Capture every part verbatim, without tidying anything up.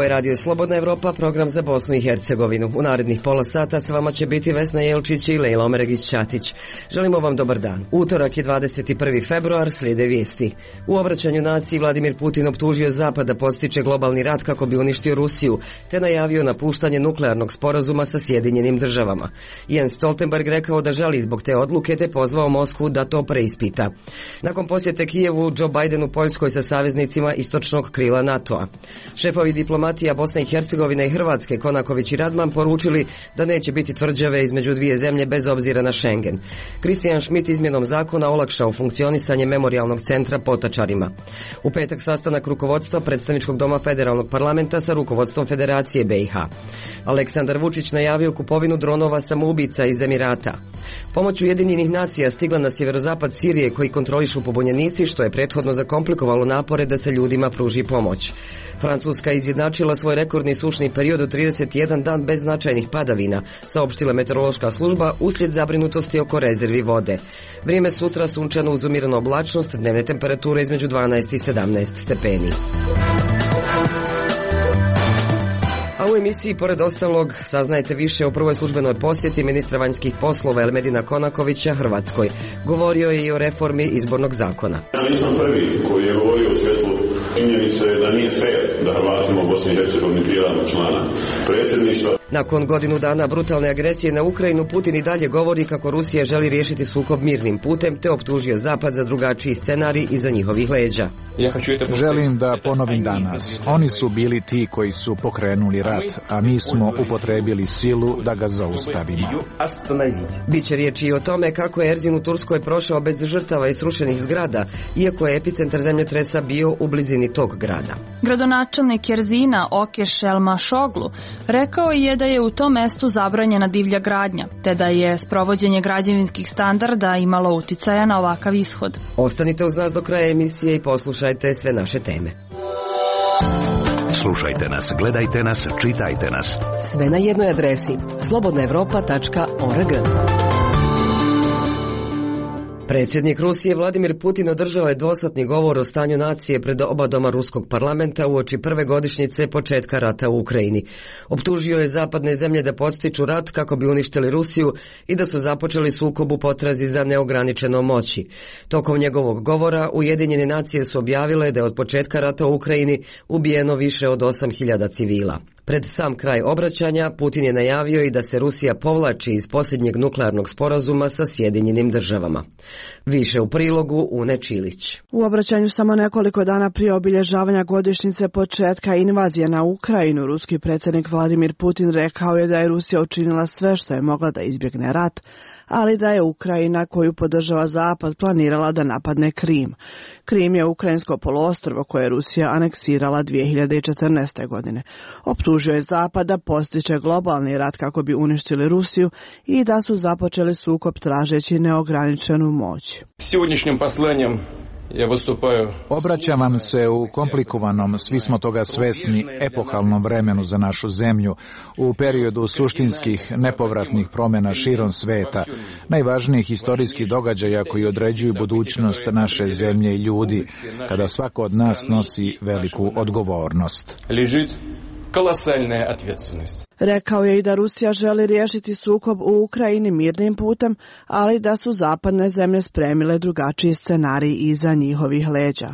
je Radio Slobodna Evropa, program za Bosnu i Hercegovinu. U narednih pola sata s vama će biti Vesna Jelčić i Lejla Omeregić-Ćatić. Želimo vam dobar dan. Utorak je dvadeset prvi februar, slijede vijesti. U obraćanju naciji Vladimir Putin optužio Zapad da podstiče globalni rat kako bi uništio Rusiju, te najavio napuštanje nuklearnog sporazuma sa Sjedinjenim državama. Jens Stoltenberg rekao da žali zbog te odluke, te pozvao Moskvu da to preispita. Nakon posjete Kijevu, Joe Biden u Poljskoj sa saveznicima istočnog krila NATO-a. Šefovi diplomatija Bosne i Hercegovine i Hrvatske, Konaković i Radman, poručili da neće biti tvrđave između dvije zemlje bez obzira na Schengen. Kristijan Schmidt izmjenom zakona olakšao funkcionisanje memorijalnog centra Potačarima. U petak sastanak rukovodstva predstavničkog doma Federalnog parlamenta sa rukovodstvom Federacije B i H. Aleksandar Vučić najavio kupovinu dronova samoubica iz Emirata. Pomoć Ujedinjenih nacija stigla na sjeverozapad Sirije koji kontrolišu pobunjenici, što je prethodno zakomplikovalo napore da se ljudima pruži pomoć. Francuska izjednačila svoj rekordni sušni period u trideset jedan dan bez značajnih padavina, saopštila meteorološka služba uslijed zabrinutosti oko rezervi vode. Vrijeme sutra sunčano uz umiranu oblačnost, dnevne temperature između dvanaest i sedamnaest stepeni. A u emisiji, pored ostalog, saznajete više o prvoj službenoj posjeti ministra vanjskih poslova Elmedina Konakovića Hrvatskoj. Govorio je i o reformi izbornog zakona. Ja nisam prvi koji je govorio u svjetlu činjenice da nije fair da Hrvatima u Bosni i Hercegovini biramo člana predsjedništva. Nakon godinu dana brutalne agresije na Ukrajinu, Putin i dalje govori kako Rusija želi riješiti sukob mirnim putem, te optužio Zapad za drugačiji scenarij iza njihovih leđa. Želim da ponovim danas. Oni su bili ti koji su pokrenuli rat, a mi smo upotrebili silu da ga zaustavimo. Biće riječi i o tome kako je Erzin u Turskoj prošao bez žrtava i srušenih zgrada, iako je epicentar zemljotresa bio u blizini tog grada. Gradonačelnik Erzina Okeš Elmašoglu rekao je da je u tom mestu zabranjena divlja gradnja, te da je sprovođenje građevinskih standarda imalo uticaja na ovakav ishod. Ostanite uz nas do kraja emisije i poslušajte sve naše teme. Slušajte nas, gledajte nas, čitajte nas. Sve na jednoj adresi slobodna evropa tačka org. Predsjednik Rusije Vladimir Putin održao je dvosatni govor o stanju nacije pred oba doma ruskog parlamenta uoči prve godišnjice početka rata u Ukrajini. Optužio je zapadne zemlje da podstiču rat kako bi uništili Rusiju i da su započeli sukob u potrazi za neograničenom moći. Tokom njegovog govora Ujedinjene nacije su objavile da je od početka rata u Ukrajini ubijeno više od osam hiljada civila. Pred sam kraj obraćanja Putin je najavio i da se Rusija povlači iz posljednjeg nuklearnog sporazuma sa Sjedinjenim državama. Više u prilogu Une Čilić. U obraćanju samo nekoliko dana prije obilježavanja godišnjice početka invazije na Ukrajinu, ruski predsjednik Vladimir Putin rekao je da je Rusija učinila sve što je mogla da izbjegne rat, ali da je Ukrajina, koju podržava Zapad, planirala da napadne Krim. Krim je ukrajinsko poluostrvo koje je Rusija aneksirala dvije hiljade četrnaeste. godine. Optužio je Zapad da postiče globalni rat kako bi uništili Rusiju i da su započeli sukob tražeći neograničenu moć. Сегодняшним посланием ja vystupaju. Obraćam vam se u komplikovanom, svi smo toga svesni, epohalnom vremenu za našu zemlju, u periodu suštinskih, nepovratnih promjena širom sveta, najvažnijih historijskih događaja koji određuju budućnost naše zemlje i ljudi, kada svako od nas nosi veliku odgovornost. Ležit kolosalna odgovornost. Rekao je i da Rusija želi riješiti sukob u Ukrajini mirnim putem, ali da su zapadne zemlje spremile drugačiji scenarij iza njihovih leđa.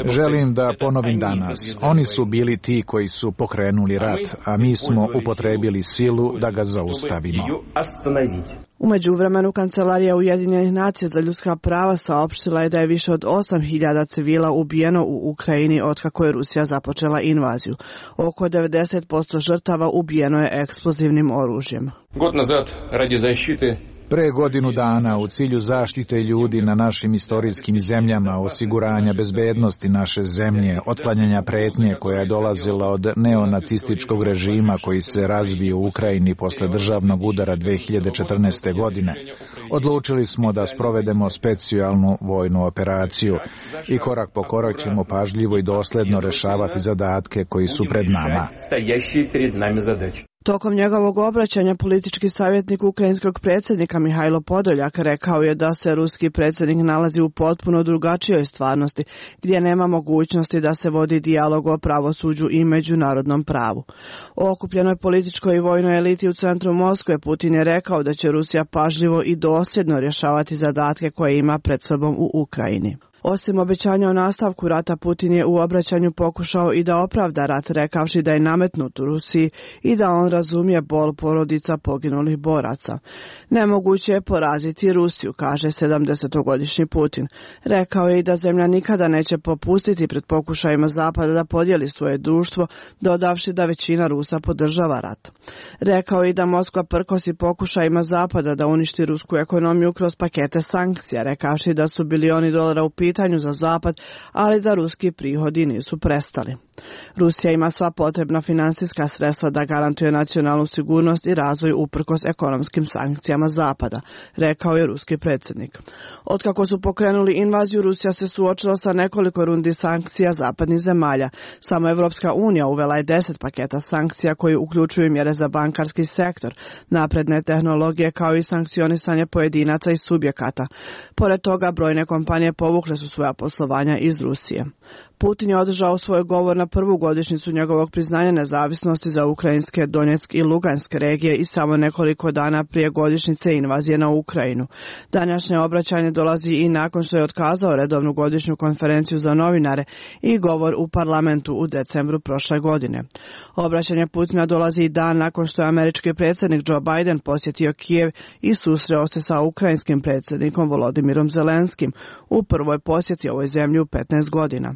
Želim da ponovim danas. Oni su bili ti koji su pokrenuli rat, a mi smo upotrebili silu da ga zaustavimo. U međuvremenu Kancelarija Ujedinjenih nacija za ljudska prava saopštila je da je više od osam hiljada civila ubijeno u Ukrajini otkako je Rusija započela invaziju. Oko devedeset posto žrtava ubijeno je eksplozivnim oružjem. God nazad, radi zaštite Pre godinu dana u cilju zaštite ljudi na našim istorijskim zemljama, osiguranja bezbednosti naše zemlje, otklanjanja pretnje koja je dolazila od neonacističkog režima koji se razvio u Ukrajini posle državnog udara dve hiljade četrnaeste. godine, odlučili smo da sprovedemo specijalnu vojnu operaciju i korak po korak ćemo pažljivo i dosledno rešavati zadatke koji su pred nama. Tokom njegovog obraćanja politički savjetnik ukrajinskog predsjednika Mihajlo Podoljak rekao je da se ruski predsjednik nalazi u potpuno drugačijoj stvarnosti, gdje nema mogućnosti da se vodi dijalog o pravosuđu i međunarodnom pravu. O okupljenoj političkoj i vojnoj eliti u centru Moskve Putin je rekao da će Rusija pažljivo i dosljedno rješavati zadatke koje ima pred sobom u Ukrajini. Osim obećanja o nastavku rata, Putin je u obraćanju pokušao i da opravda rat, rekavši da je nametnut u Rusiji i da on razumije bol porodica poginulih boraca. Nemoguće je poraziti Rusiju, kaže sedamdesetogodišnji Putin. Rekao je i da zemlja nikada neće popustiti pred pokušajima Zapada da podijeli svoje društvo, dodavši da većina Rusa podržava rat. Rekao je i da Moskva prkosi pokušajima Zapada da uništi rusku ekonomiju kroz pakete sankcija, rekavši da su bilioni dolara u pitanju za Zapad, ali da ruski prihodi nisu prestali. Rusija ima sva potrebna finansijska sredstva da garantuje nacionalnu sigurnost i razvoj uprkos ekonomskim sankcijama Zapada, rekao je ruski predsjednik. Otkako su pokrenuli invaziju, Rusija se suočila sa nekoliko rundi sankcija zapadnih zemalja. Samo Evropska unija uvela je deset paketa sankcija koji uključuju mjere za bankarski sektor, napredne tehnologije kao i sankcionisanje pojedinaca i subjekata. Pored toga, brojne kompanije povukle su svoja poslovanja iz Rusije. Putin je održao svoj govor na prvu godišnjicu njegovog priznanja nezavisnosti za ukrajinske, Donjeck i Luganske regije i samo nekoliko dana prije godišnjice invazije na Ukrajinu. Današnje obraćanje dolazi i nakon što je otkazao redovnu godišnju konferenciju za novinare i govor u parlamentu u decembru prošle godine. Obraćanje Putina dolazi i dan nakon što je američki predsjednik Joe Biden posjetio Kijev i susreo se sa ukrajinskim predsjednikom Volodimirom Zelenskim u prvoj posjeti ovoj zemlji u petnaest godina.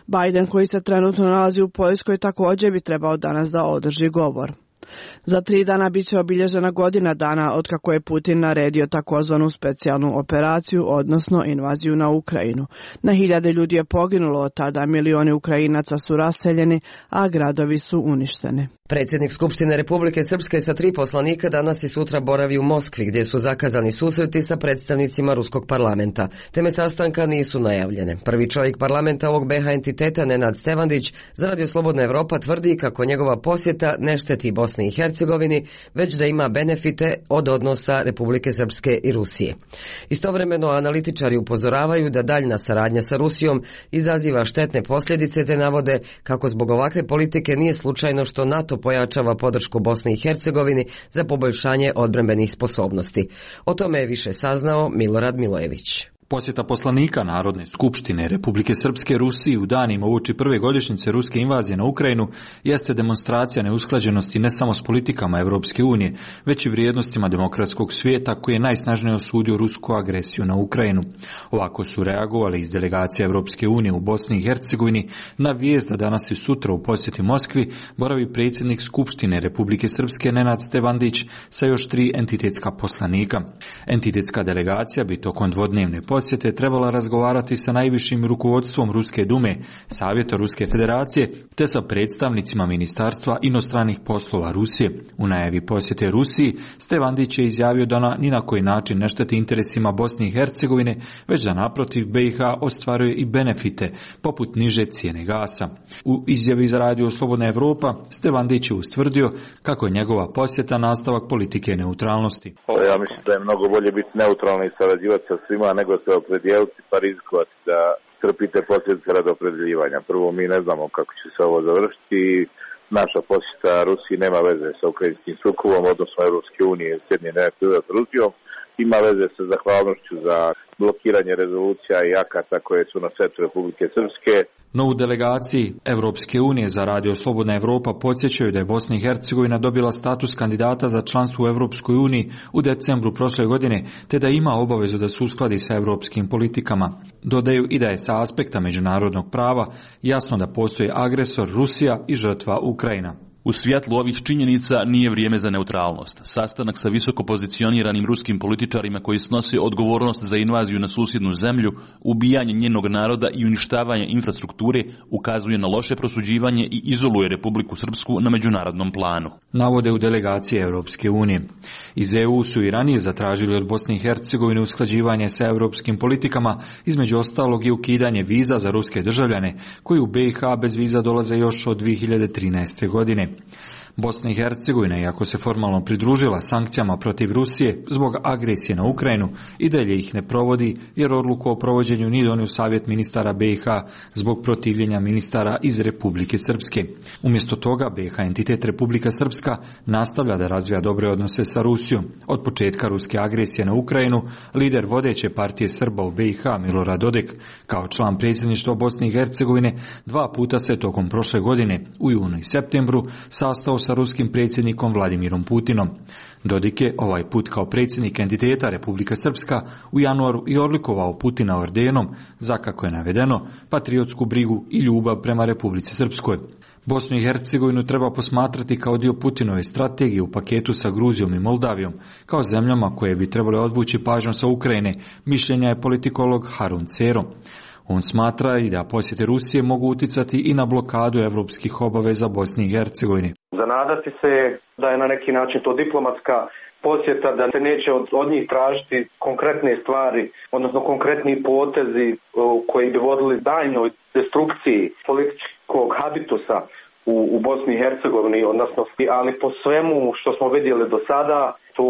Biden, koji se trenutno nalazi u Poljskoj, također bi trebao danas da održi govor. Za tri dana bit će obilježena godina dana otkako je Putin naredio takozvanu specijalnu operaciju, odnosno invaziju na Ukrajinu. Na hiljade ljudi je poginulo od tada, milioni Ukrajinaca su raseljeni, a gradovi su uništeni. Predsjednik Skupštine Republike Srpske sa tri poslanika danas i sutra boravi u Moskvi, gdje su zakazani susreti sa predstavnicima ruskog parlamenta. Teme sastanka nisu najavljene. Prvi čovjek parlamenta ovog be ha entiteta, Nenad Stevandić, za Radio Slobodna Evropa tvrdi kako njegova posjeta ne šteti Bosni i Hercegovini, već da ima benefite od odnosa Republike Srpske i Rusije. Istovremeno, analitičari upozoravaju da daljna saradnja sa Rusijom izaziva štetne posljedice, te navode kako zbog ovakve politike nije slučajno što NATO pojačava podršku Bosni i Hercegovini za poboljšanje odbrambenih sposobnosti. O tome je više saznao Milorad Milojević. Posjeta poslanika Narodne skupštine Republike Srpske Rusiji u danima uoči prve godišnjice ruske invazije na Ukrajinu jeste demonstracija neusklađenosti ne samo s politikama Europske unije, već i vrijednostima demokratskog svijeta koji je najsnažnije osudio rusku agresiju na Ukrajinu. Ovako su reagovali iz delegacije Europske unije u Bosni i Hercegovini na vijest da danas i sutra u posjeti Moskvi boravi predsjednik Skupštine Republike Srpske Nenad Stevandić sa još tri entitetska poslanika. Entitetska delegacija bi tokom dvodnevne posjete posjete trebala razgovarati sa najvišim rukovodstvom Ruske dume, Savjeta Ruske federacije, te sa predstavnicima Ministarstva inostranih poslova Rusije. U najavi posjete Rusiji, Stevandić je izjavio da na ni na koji način ne šteti interesima Bosne i Hercegovine, već da naprotiv be i ha ostvaruje i benefite, poput niže cijene gasa. U izjavi za Radio Slobodna Evropa, Stevandić je ustvrdio kako je njegova posjeta nastavak politike neutralnosti. Ja mislim da je mnogo bolje biti neutralni i sarađivati sa svima nego se opredijeliti pa rizikovati da trpite posljedice radi opredjeljivanja. Prvo, mi ne znamo kako će se ovo završiti. Naša posjeta Rusiji nema veze sa ukrajinskim sukobom, odnosno Europske unije i Sjedinjenih Američkih Država s Rusijom. Ima veze sa zahvalnošću za blokiranje rezolucija i akata koje su na setu Republike Srpske. No u delegaciji Europske unije za Radio Slobodna Evropa podsjećaju da je Bosna i Hercegovina dobila status kandidata za članstvo u Europskoj uniji u decembru prošle godine, te da ima obavezu da se uskladi sa europskim politikama. Dodaju i da je sa aspekta međunarodnog prava jasno da postoji agresor Rusija i žrtva Ukrajina. U svjetlu ovih činjenica nije vrijeme za neutralnost. Sastanak sa visoko pozicioniranim ruskim političarima koji snose odgovornost za invaziju na susjednu zemlju, ubijanje njenog naroda i uništavanje infrastrukture ukazuje na loše prosuđivanje i izoluje Republiku Srpsku na međunarodnom planu. Navode u delegaciji Europske unije. Iz e u su i ranije zatražili od Bosne i Hercegovine usklađivanje sa europskim politikama, između ostalog i ukidanje viza za ruske državljane koji u be i ha bez viza dolaze još od dvije hiljade trinaeste godine. Bosna i Hercegovina, iako se formalno pridružila sankcijama protiv Rusije zbog agresije na Ukrajinu, i dalje ih ne provodi jer odluku o provođenju nije donio Savjet ministara B i H zbog protivljenja ministara iz Republike Srpske. Umjesto toga B i H entitet Republika Srpska nastavlja da razvija dobre odnose sa Rusijom. Od početka ruske agresije na Ukrajinu, lider vodeće partije Srba u B i H Milorad Dodik, kao član predsjedništva Bosne i Hercegovine, dva puta se tokom prošle godine u junu i septembru sastao sa ruskim predsjednikom Vladimirom Putinom. Dodik je ovaj put kao predsjednik entiteta Republika Srpska u januaru i odlikovao Putina ordenom za, kako je navedeno, patriotsku brigu i ljubav prema Republici Srpskoj. Bosnu i Hercegovinu treba posmatrati kao dio Putinove strategije u paketu sa Gruzijom i Moldavijom, kao zemljama koje bi trebale odvući pažnju sa Ukrajine, mišljenja je politikolog Harun Cero. On smatra i da posjete Rusije mogu uticati i na blokadu evropskih obaveza Bosni i Hercegovini. Zanadati se da je na neki način to diplomatska posjeta, da se neće od, od njih tražiti konkretne stvari, odnosno konkretni potezi koji bi vodili daljnjoj destrukciji političkog habitusa u, u Bosni i Hercegovini, odnosno, ali po svemu što smo vidjeli do sada, to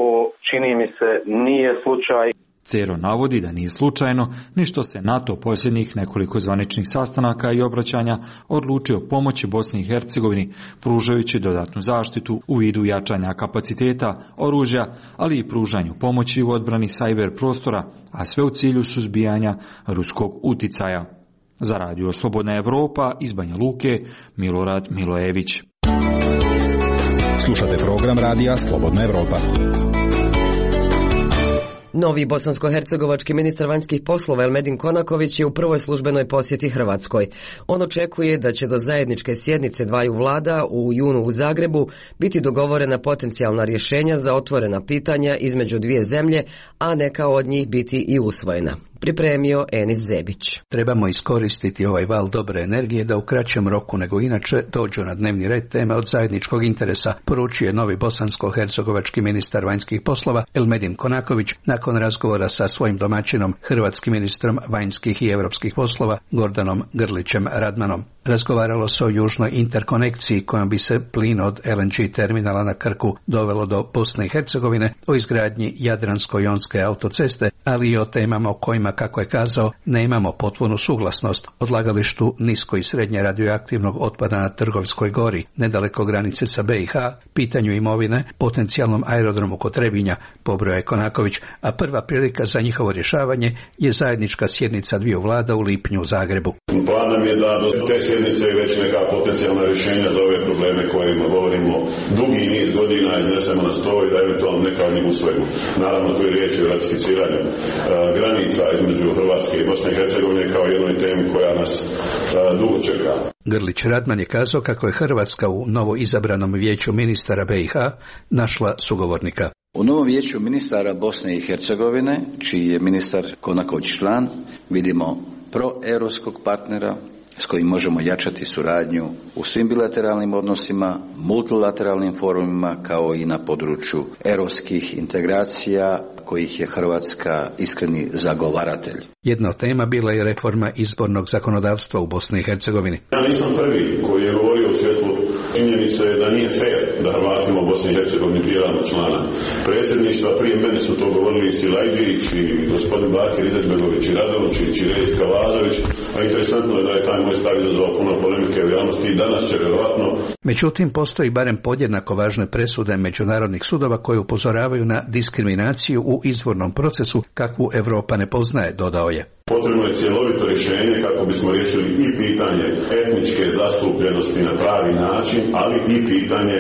čini mi se nije slučaj. Cero navodi da nije slučajno ni što se NATO posljednjih nekoliko zvaničnih sastanaka i obraćanja odlučio pomoći Bosni i Hercegovini, pružajući dodatnu zaštitu u vidu jačanja kapaciteta, oružja, ali i pružanju pomoći u odbrani sajber prostora, a sve u cilju suzbijanja ruskog uticaja. Za radio Slobodna Evropa iz Banja Luke, Milorad Milojević. Slušate program radija Slobodna Evropa. Novi bosansko-hercegovački ministar vanjskih poslova Elmedin Konaković je u prvoj službenoj posjeti Hrvatskoj. On očekuje da će do zajedničke sjednice dvaju vlada u junu u Zagrebu biti dogovorena potencijalna rješenja za otvorena pitanja između dvije zemlje, a neka od njih biti i usvojena. Pripremio Enis Zebić. Trebamo iskoristiti ovaj val dobre energije da u kraćem roku nego inače dođu na dnevni red teme od zajedničkog interesa, poručuje novi bosansko-hercegovački ministar vanjskih poslova Elmedin Konaković nakon razgovora sa svojim domaćinom, hrvatskim ministrom vanjskih i europskih poslova Gordanom Grlićem Radmanom. Razgovaralo se o južnoj interkonekciji kojom bi se plin od L N G terminala na Krku dovelo do Bosne i Hercegovine, o izgradnji Jadransko-jonske autoceste, ali i o temama o kojima, kako je kazao, nemamo potpunu suglasnost, odlagalištu nisko i srednje radioaktivnog otpada na Trgovskoj gori, nedaleko granice sa B i H, pitanju imovine, potencijalnom aerodromu kod Trebinja, pobrojao je Konaković, a prva prilika za njihovo rješavanje je zajednička sjednica dviju vlada u lipnju u Zagrebu. Plan nam je da do te sjednice već neka potencijalna rješenja za ove probleme kojima govorimo dugi niz godina iznesemo na stol i da eventualno neka od njih usvojimo. Naravno, tu je riječ o ratificiranju uh, granica između Hrvatske i Bosne i Hercegovine kao jednoj temi koja nas uh, dugo čeka. Grlić Radman je kazao kako je Hrvatska u novo izabranom vijeću ministara B i H našla sugovornika. U novom vijeću ministara Bosne i Hercegovine, čiji je ministar Konaković član, vidimo proeuropskog partnera s kojim možemo jačati suradnju u svim bilateralnim odnosima, multilateralnim forumima, kao i na području europskih integracija kojih je Hrvatska iskreni zagovaratelj. Jedna od tema bila je reforma izbornog zakonodavstva u Bosni i Hercegovini. Ja nisam prvi koji je govorio u svjetlu činjenice da nije fair da Hrvatima u Bosni i Hercegovini biramo člana predsjedništva. Prije mene su to govorili i Silajđić, i gospodin Bakir Izetbegović, i Radončić, i Rejska Lazović, a interesantno je da je taj moj stav izazvao puno polemike u javnosti i danas će vjerovatno. Međutim, postoji barem podjednako važne presude međunarodnih sudova koje upozoravaju na diskriminaciju u izbornom procesu kakvu Europa ne poznaje, dodao je. Potrebno je cjelovito rješenje kako bismo riješili i pitanje etničke zastupljenosti na pravi način, ali i pitanje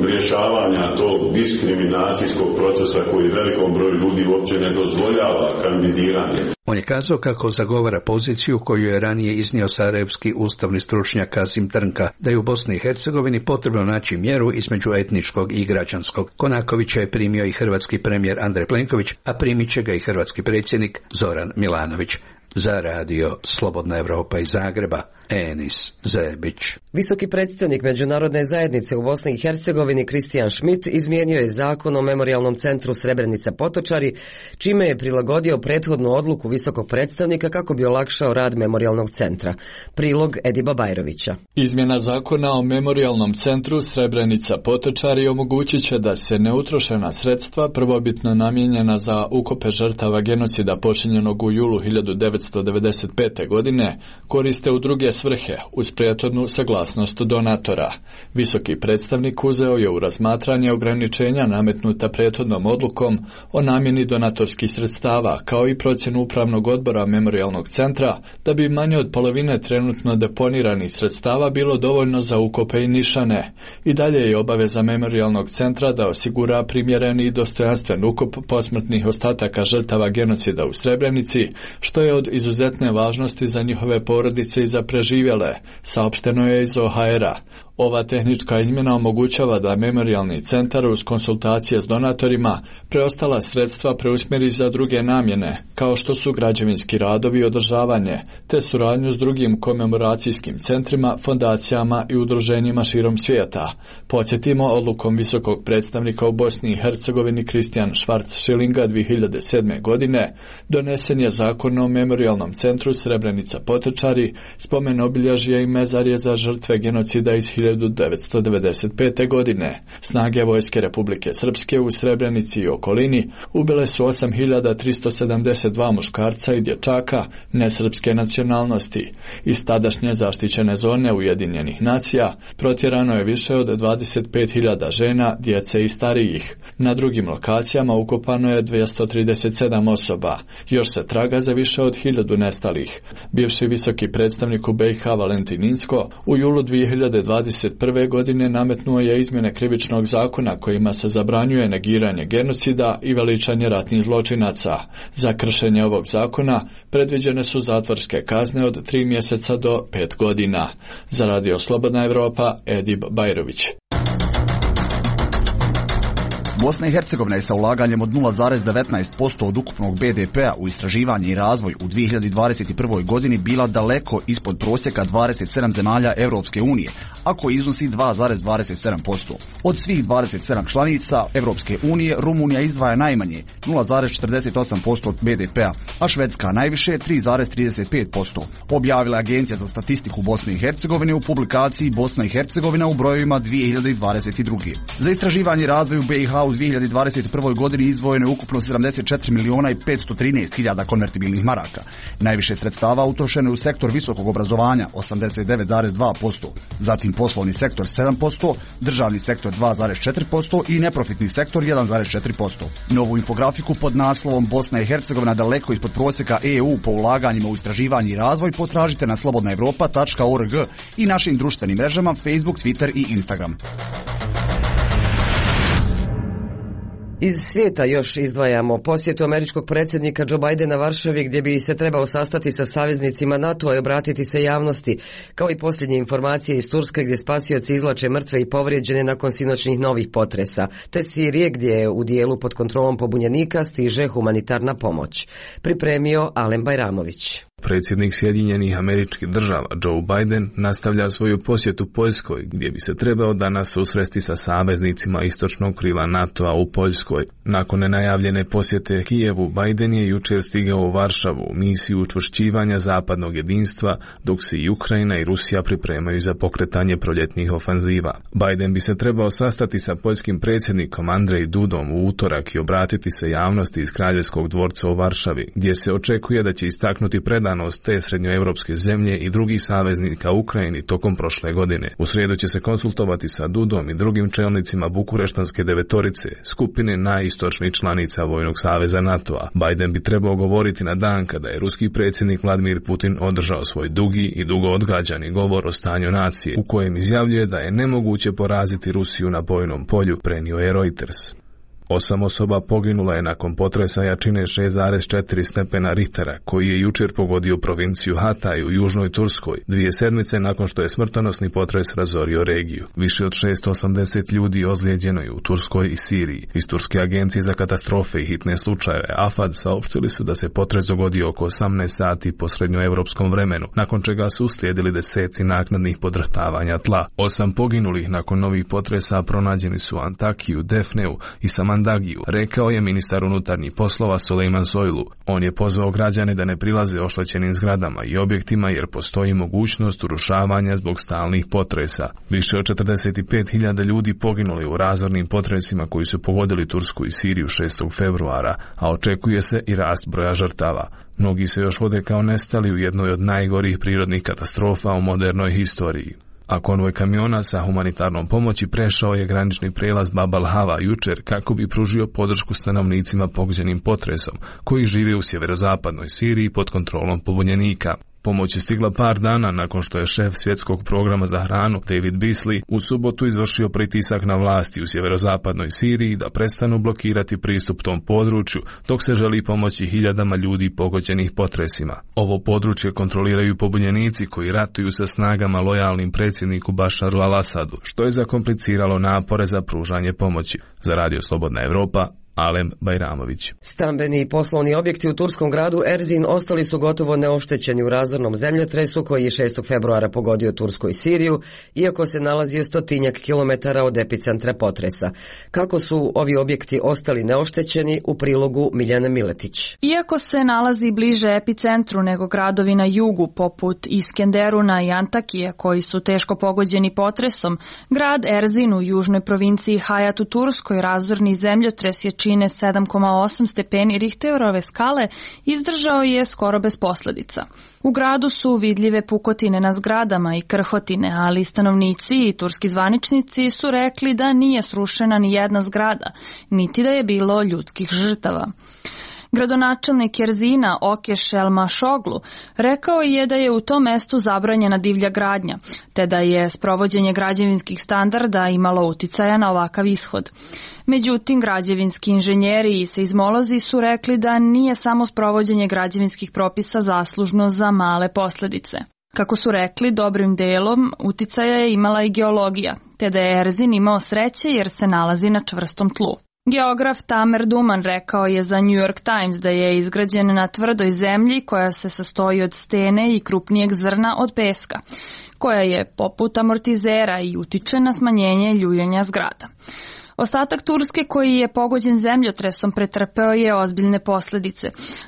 rješavanja tog diskriminacijskog procesa koji velikom broju ljudi uopće ne dozvoljava kandidiranje. On je kazao kako zagovara poziciju koju je ranije iznio sarajevski ustavni stručnjak Kasim Trnka, da je u Bosni i Hercegovini potrebno naći mjeru između etničkog i građanskog. Konakovića je primio i hrvatski premijer Andrej Plenković, a primit će ga i hrvatski predsjednik Zoran Milanović. Za radio Slobodna Evropa iz Zagreba, Enis Zebić. Visoki predstavnik Međunarodne zajednice u Bosni i Hercegovini Kristijan Schmidt izmijenio je zakon o Memorijalnom centru Srebrenica Potočari, čime je prilagodio prethodnu odluku visokog predstavnika kako bi olakšao rad Memorijalnog centra. Prilog Ediba Bajrovića. Izmjena zakona o Memorijalnom centru Srebrenica Potočari omogućit će da se neutrošena sredstva prvobitno namijenjena za ukope žrtava genocida počinjenog u julu hiljadu devetsto devedeset pete. godine koriste u druge svrhe uz prethodnu saglasnost donatora. Visoki predstavnik uzeo je u razmatranje ograničenja nametnuta prethodnom odlukom o namjeni donatorskih sredstava, kao i procjenu upravnog odbora Memorijalnog centra, da bi manje od polovine trenutno deponiranih sredstava bilo dovoljno za ukope i nišane. I dalje je obaveza Memorijalnog centra da osigura primjereni i dostojanstven ukop posmrtnih ostataka žrtava genocida u Srebrenici, što je od izuzetne važnosti za njihove porodice i za preživjele, saopšteno je iz O H R-a. Ova tehnička izmjena omogućava da Memorijalni centar uz konsultacije s donatorima preostala sredstva preusmjeri za druge namjene, kao što su građevinski radovi i održavanje, te suradnju s drugim komemoracijskim centrima, fondacijama i udruženjima širom svijeta. Podsjetimo, odlukom visokog predstavnika u Bosni i Hercegovini Kristijan Schwarz-Schillinga dvije hiljade sedme. godine donesen je zakon o Memorijalnom centru Srebrenica Potočari, spomen obilježje i mezarje za žrtve genocida iz hiljadu devetsto devedeset pete. godine. Snage vojske Republike Srpske u Srebrenici i okolini ubile su osam hiljada tristo sedamdeset dva muškarca i dječaka nesrpske nacionalnosti. Iz tadašnje zaštićene zone Ujedinjenih nacija protjerano je više od dvadeset pet hiljada žena, djece i starijih. Na drugim lokacijama ukopano je dvjesto trideset sedam osoba. Još se traga za više od hiljadu nestalih. Bivši visoki predstavnik u B i H Valentin Inzko u julu dvije hiljade dvadeset prve. godine nametnuo je izmjene krivičnog zakona kojima se zabranjuje negiranje genocida i veličanje ratnih zločinaca. Za kršenje ovog zakona predviđene su zatvorske kazne od tri mjeseca do pet godina. Za radio Slobodna Evropa, Edib Bajrović. Bosna i Hercegovina je sa ulaganjem od nula zarez devetnaest posto od ukupnog B D P-a u istraživanje i razvoj u dvije hiljade dvadeset prvoj. godini bila daleko ispod prosjeka dvadeset sedam zemalja Europske unije, a koji iznosi dva zarez dvadeset sedam posto. Od svih dvadeset sedam članica Europske unije, Rumunija izdvaja najmanje nula zarez četrdeset osam posto od B D P-a, a Švedska najviše tri zarez trideset pet posto. Objavila Agencija za statistiku Bosne i Hercegovine u publikaciji Bosna i Hercegovina u brojevima dvije hiljade dvadeset druge. Za istraživanje i razvoj u B i H u dvije hiljade dvadeset prvoj. godini izdvojeno je ukupno sedamdeset četiri miliona i petsto trinaest hiljada konvertibilnih maraka. Najviše sredstava utrošeno je u sektor visokog obrazovanja osamdeset devet zarez dva posto, zatim poslovni sektor sedam posto, državni sektor dva zarez četiri posto i neprofitni sektor jedan zarez četiri posto. Novu infografiku pod naslovom Bosna i Hercegovina daleko ispod prosjeka E U po ulaganjima u istraživanje i razvoj potražite na slobodna evropa tačka org i našim društvenim mrežama Facebook, Twitter i Instagram. Iz svijeta još izdvajamo posjetu američkog predsjednika Joe Bidena Varšavi, gdje bi se trebao sastati sa saveznicima NATO-a i obratiti se javnosti, kao i posljednje informacije iz Turske gdje spasioci izvlače mrtve i povrijeđene nakon sinoćnih novih potresa, te Sirije gdje je u dijelu pod kontrolom pobunjenika stiže humanitarna pomoć. Pripremio Alen Bajramović. Predsjednik Sjedinjenih Američkih Država Joe Biden nastavlja svoju posjetu Poljskoj, gdje bi se trebao danas susresti sa saveznicima istočnog krila NATO-a u Poljskoj. Nakon nenajavljene posjete Kijevu, Biden je jučer stigao u Varšavu u misiju učvršćivanja zapadnog jedinstva, dok se i Ukrajina i Rusija pripremaju za pokretanje proljetnih ofanziva. Biden bi se trebao sastati sa poljskim predsjednikom Andrej Dudom u utorak i obratiti se javnosti iz Kraljevskog dvorca u Varšavi, gdje se očekuje da će istaknuti predanost te srednjoevropske zemlje i drugih saveznika Ukrajini tokom prošle godine. U srijedu će se konsultovati sa Dudom i drugim čelnicima Bukureštanske devetorice, skupine najistočnijih članica Vojnog saveza NATO-a. Biden bi trebao govoriti na dan kada je ruski predsjednik Vladimir Putin održao svoj dugi i dugo odgađani govor o stanju nacije, u kojem izjavljuje da je nemoguće poraziti Rusiju na bojnom polju, prenio je Reuters. Osam osoba poginula je nakon potresa jačine šest zarez četiri stepena Richtera, koji je jučer pogodio provinciju Hatay u južnoj Turskoj, dvije sedmice nakon što je smrtonosni potres razorio regiju. Više od šesto osamdeset ljudi ozlijeđeno je u Turskoj i Siriji. Iz Turske agencije za katastrofe i hitne slučajeve A F A D saopštili su da se potres dogodio oko osamnaest sati po srednjoevropskom vremenu, nakon čega su uslijedili deseci naknadnih podrhtavanja tla. Osam poginulih nakon novih potresa pronađeni su u Antakiju, Defneu i Samandagiju, rekao je ministar unutarnjih poslova Sulejman Soylu. On je pozvao građane da ne prilaze oštećenim zgradama i objektima jer postoji mogućnost urušavanja zbog stalnih potresa. Više od četrdeset pet hiljada ljudi poginuli u razornim potresima koji su pogodili Tursku i Siriju šestog februara, a očekuje se i rast broja žrtava. Mnogi se još vode kao nestali u jednoj od najgorih prirodnih katastrofa u modernoj historiji. A konvoj kamiona sa humanitarnom pomoći prešao je granični prelaz Bab al-Hava jučer kako bi pružio podršku stanovnicima pogođenim potresom, koji žive u sjeverozapadnoj Siriji pod kontrolom pobunjenika. Pomoć je stigla par dana nakon što je šef svjetskog programa za hranu David Beasley u subotu izvršio pritisak na vlasti u sjeverozapadnoj Siriji da prestanu blokirati pristup tom području dok se želi pomoći hiljadama ljudi pogođenih potresima. Ovo područje kontroliraju pobunjenici koji ratuju sa snagama lojalnim predsjedniku Bašaru al-Asadu, što je zakompliciralo napore za pružanje pomoći. Za Radio Slobodna Evropa, Alem Bajramović. Stambeni i poslovni objekti u turskom gradu Erzin ostali su gotovo neoštećeni u razornom zemljotresu koji je šestog februara pogodio Tursku i Siriju, iako se nalazio stotinjak kilometara od epicentra potresa. Kako su ovi objekti ostali neoštećeni, u prilogu Miljana Miletić. Iako se nalazi bliže epicentru nego gradovi na jugu, poput Iskenderuna i Antakije, koji su teško pogođeni potresom, grad Erzin u južnoj provinciji Hayat u Turskoj razorni zemljotres je čine sedam zarez osam stepeni Richterove skale izdržao je skoro bez posljedica. U gradu su vidljive pukotine na zgradama i krhotine, ali stanovnici i turski zvaničnici su rekli da nije srušena ni jedna zgrada, niti da je bilo ljudskih žrtava. Gradonačelnik Erzina Okeš Elmašoglu rekao je da je u tom mestu zabranjena divlja gradnja, te da je sprovođenje građevinskih standarda imalo uticaja na ovakav ishod. Međutim, građevinski inženjeri i seizmolozi su rekli da nije samo sprovođenje građevinskih propisa zaslužno za male posljedice. Kako su rekli, dobrim delom uticaja je imala i geologija, te da je Erzin imao sreće jer se nalazi na čvrstom tlu. Geograf Tamer Duman rekao je za New York Times da je izgrađen na tvrdoj zemlji koja se sastoji od stene i krupnijeg zrna od peska, koja je poput amortizera i utiče na smanjenje ljuljanja zgrada. Ostatak Turske koji je pogođen zemljotresom pretrpeo je ozbiljne posljedice.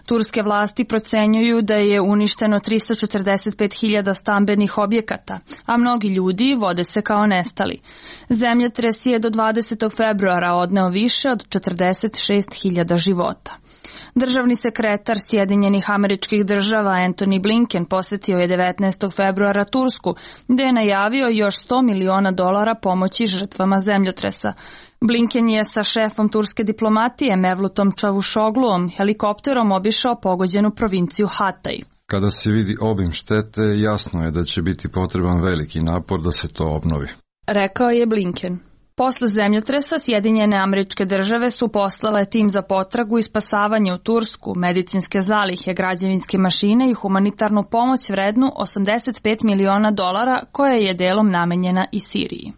Turske vlasti procenjuju da je uništeno tristo četrdeset pet hiljada stambenih objekata, a mnogi ljudi vode se kao nestali. Zemljotres je do dvadesetog februara odneo više od četrdeset šest hiljada života. Državni sekretar Sjedinjenih Američkih Država Antony Blinken posjetio je devetnaestog februara Tursku, gdje je najavio još sto miliona dolara pomoći žrtvama zemljotresa. Blinken je sa šefom turske diplomatije Mevlutom Čavuşogluom helikopterom obišao pogođenu provinciju Hatay. Kada se vidi obim štete, jasno je da će biti potreban veliki napor da se to obnovi, rekao je Blinken. Posle zemljotresa Sjedinjene Američke Države su poslale tim za potragu i spasavanje u Tursku, medicinske zalihe, građevinske mašine i humanitarnu pomoć vrednu osamdeset pet miliona dolara koja je delom namenjena i Siriji.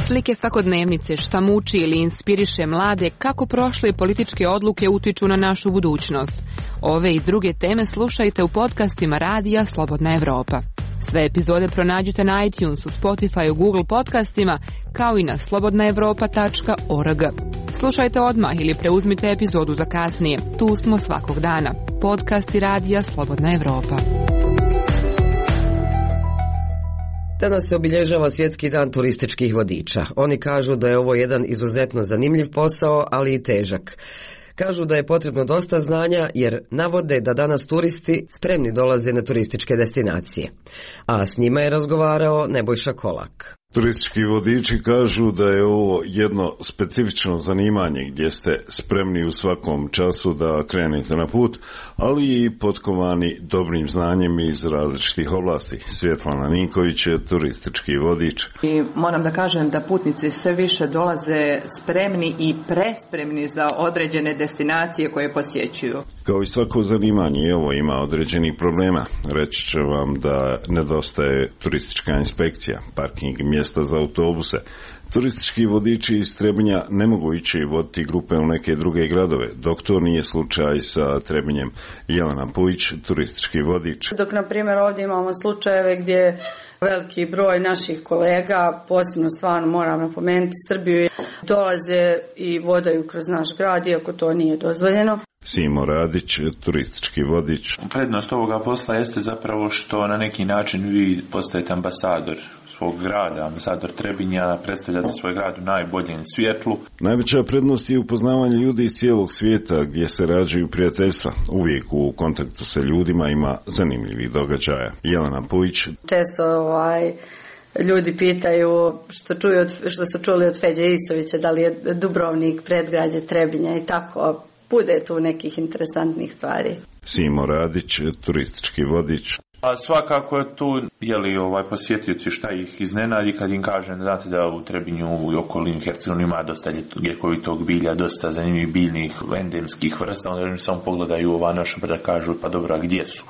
Slike svakodnevnice, šta muči ili inspiriše mlade, kako prošle političke odluke utiču na našu budućnost. Ove i druge teme slušajte u podcastima Radija Slobodna Evropa. Sve epizode pronađite na iTunesu, Spotify, Google podcastima, kao i na slobodna evropa tačka org. Slušajte odmah ili preuzmite epizodu za kasnije. Tu smo svakog dana. Podcasti Radija Slobodna Evropa. Danas se obilježava Svjetski dan turističkih vodiča. Oni kažu da je ovo jedan izuzetno zanimljiv posao, ali i težak. Kažu da je potrebno dosta znanja jer navode da danas turisti spremni dolaze na turističke destinacije. A s njima je razgovarao Nebojša Kolak. Turistički vodiči kažu da je ovo jedno specifično zanimanje gdje ste spremni u svakom času da krenete na put, ali i potkovani dobrim znanjem iz različitih oblasti. Svjetlana Ninković je turistički vodič. I moram da kažem da putnici sve više dolaze spremni i prespremni za određene destinacije koje posjećuju. Kao i svako zanimanje, ovo ima određenih problema. Reći ću vam da nedostaje turistička inspekcija, parking mjesta za autobuse. Turistički vodiči iz Trebinja ne mogu ići i voditi grupe u neke druge gradove, dok to nije slučaj sa Trebinjem. Jelena Pujić, turistički vodič. Dok, na primjer, ovdje imamo slučajeve gdje veliki broj naših kolega, posebno stvarno moram napomenuti Srbiju, dolaze i vodaju kroz naš grad, iako to nije dozvoljeno. Simo Radić, turistički vodič. Prednost ovoga posla jeste zapravo što na neki način vi postajete ambasador svog grada, ambasador Trebinja, predstavljate svoj grad u najboljem svjetlu. Najveća prednost je upoznavanje ljudi iz cijelog svijeta gdje se rađaju prijateljstva. Uvijek u kontaktu sa ljudima ima zanimljivih događaja. Jelena Pujić. Često ovaj, ljudi pitaju što, čuju od, što su čuli od Feđe Isovića, da li je Dubrovnik predgrađe Trebinja i tako. Bude tu nekih interesantnih stvari. Simo Radić, turistički vodič. A svakako je tu, jeli ovaj posjetioci šta ih iznenadi kad im kažem, znate da u Trebinju i okolini Hercegovini ima dosta ljekovitog bilja, dosta zanimljivih biljnih endemskih vrsta, onda oni samo pogledaju ova naša pa da kažu, pa dobro, a gdje su?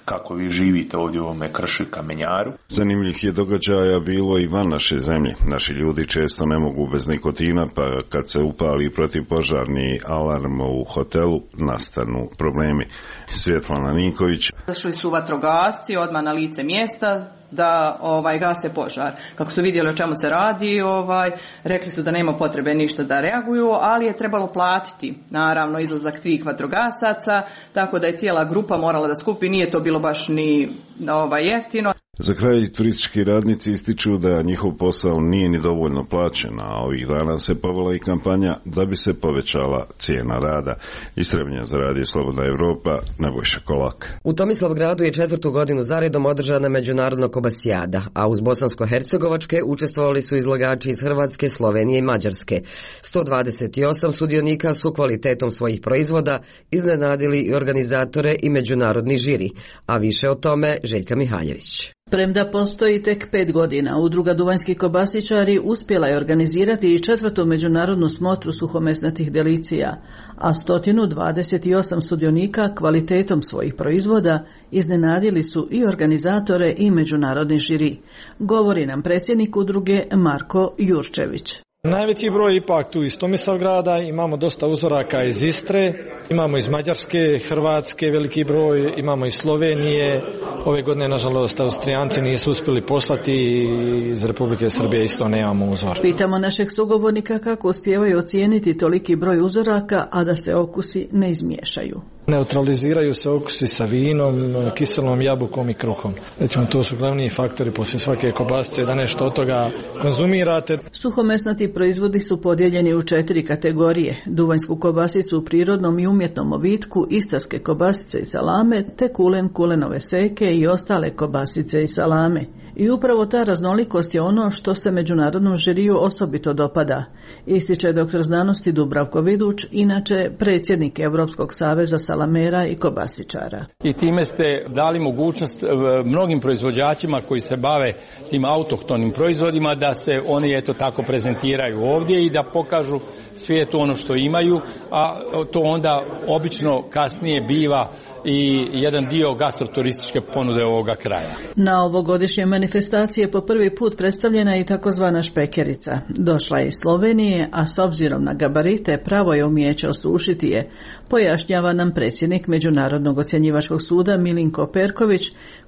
Kako vi živite ovdje u ovome kršu i kamenjaru. Zanimljivih je događaja bilo i van naše zemlje. Naši ljudi često ne mogu bez nikotina, pa kad se upali protivpožarni alarm u hotelu, nastanu problemi. Svjetlana Ninković. Zašli su vatrogasci odmah na lice mjesta da ovaj gase požar. Kako su vidjeli o čemu se radi, ovaj rekli su da nema potrebe ništa da reaguju, ali je trebalo platiti naravno izlazak tih vatrogasaca, tako da je cijela grupa morala da skupi, nije to bilo baš ni ovaj jeftino. Za kraj turistički radnici ističu da njihov posao nije ni dovoljno plaćen, a ovih dana se povela i kampanja da bi se povećala cijena rada. Iz Trebinja za Radio Slobodna Evropa, Nebojša Kolak. U Tomislavgradu je četvrtu godinu zaredom održana međunarodna kobasijada, a uz bosansko-hercegovačke učestvovali su izlagači iz Hrvatske, Slovenije i Mađarske. sto dvadeset osam sudionika su kvalitetom svojih proizvoda iznenadili i organizatore i međunarodni žiri, a više o tome Željka Mihaljević. Premda postoji tek pet godina, udruga Duvanjski kobasičari uspjela je organizirati i četvrtu međunarodnu smotru suhomesnatih delicija, a sto dvadeset osam sudionika kvalitetom svojih proizvoda iznenadili su i organizatore i međunarodni žiri. Govori nam predsjednik udruge Marko Jurčević. Najveći broj ipak tu iz Tomislavgrada, imamo dosta uzoraka iz Istre, imamo iz Mađarske, Hrvatske veliki broj, imamo iz Slovenije, ove godine nažalost Austrijanci nisu uspjeli poslati i iz Republike Srbije isto nemamo uzor. Pitamo našeg sugovornika kako uspijevaju ocijeniti toliki broj uzoraka, a da se okusi ne izmiješaju. Neutraliziraju se okusi sa vinom, kiselom jabukom i kruhom. Recimo, to su glavni faktori poslije svake kobasice da nešto od toga konzumirate. Suhomesnati proizvodi su podijeljeni u četiri kategorije: duvanjsku kobasicu u prirodnom i umjetnom ovitku, istarske kobasice i salame, te kulen, kulenove seke i ostale kobasice i salame. I upravo ta raznolikost je ono što se međunarodnom žiriju osobito dopada, ističe doktor znanosti Dubravko Viduć, inače predsjednik Europskog saveza salamera i kobasičara. I time ste dali mogućnost mnogim proizvođačima koji se bave tim autohtonim proizvodima da se oni eto tako prezentiraju ovdje i da pokažu svijetu ono što imaju, a to onda obično kasnije biva i jedan dio gastroturističke ponude ovoga kraja. Na ovogodišnje manifestacije po prvi put predstavljena je i takozvana špekerica. Došla je iz Slovenije, a s obzirom na gabarite pravo je umijeće osušiti je, pojašnjava nam predsjednik Međunarodnog ocjenjivačkog suda Milinko Perković,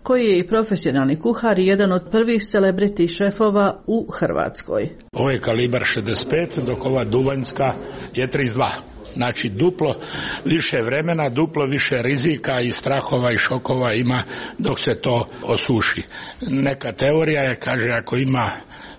koji je i profesionalni kuhar i jedan od prvih celebrity šefova u Hrvatskoj. Ovo je kalibar šezdeset pet, dok ova duvanjska je trideset dva. Znači duplo više vremena, duplo više rizika i strahova i šokova ima dok se to osuši. Neka teorija je, kaže, ako ima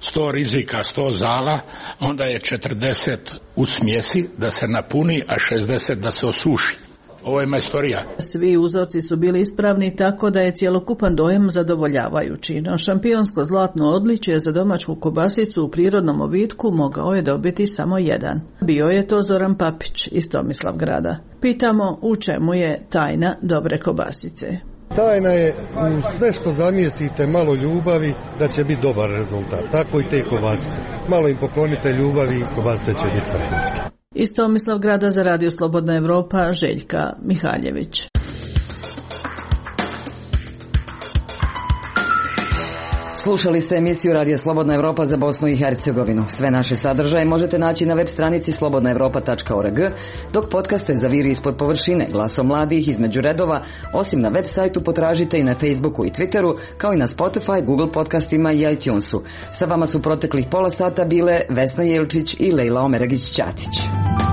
sto rizika, sto zala, onda je četrdeset u smjesi da se napuni, a šezdeset da se osuši. ovo je majstorija. Svi uzorci su bili ispravni tako da je cjelokupan dojam zadovoljavajući. No šampionsko zlatno odličje za domaću kobasicu u prirodnom ovitku mogao je dobiti samo jedan. Bio je to Zoran Papić iz Tomislavgrada. Pitamo u čemu je tajna dobre kobasice. Tajna je u sve što zamjesite malo ljubavi da će biti dobar rezultat. Tako i te kobasice. Malo im poklonite ljubavi i kobasice će biti vrhunske. Iz Tomislavgrada za Radio Slobodna Evropa, Željka Mihaljević. Slušali ste emisiju Radio Slobodna Evropa za Bosnu i Hercegovinu. Sve naše sadržaje možete naći na web stranici slobodna evropa tačka org, dok podcaste za Viri ispod površine, Glasom mladih, Između redova, osim na web sajtu potražite i na Facebooku i Twitteru, kao i na Spotify, Google podcastima i iTunesu. Sa vama su proteklih pola sata bile Vesna Jelčić i Lejla Omeragić-Ćatić.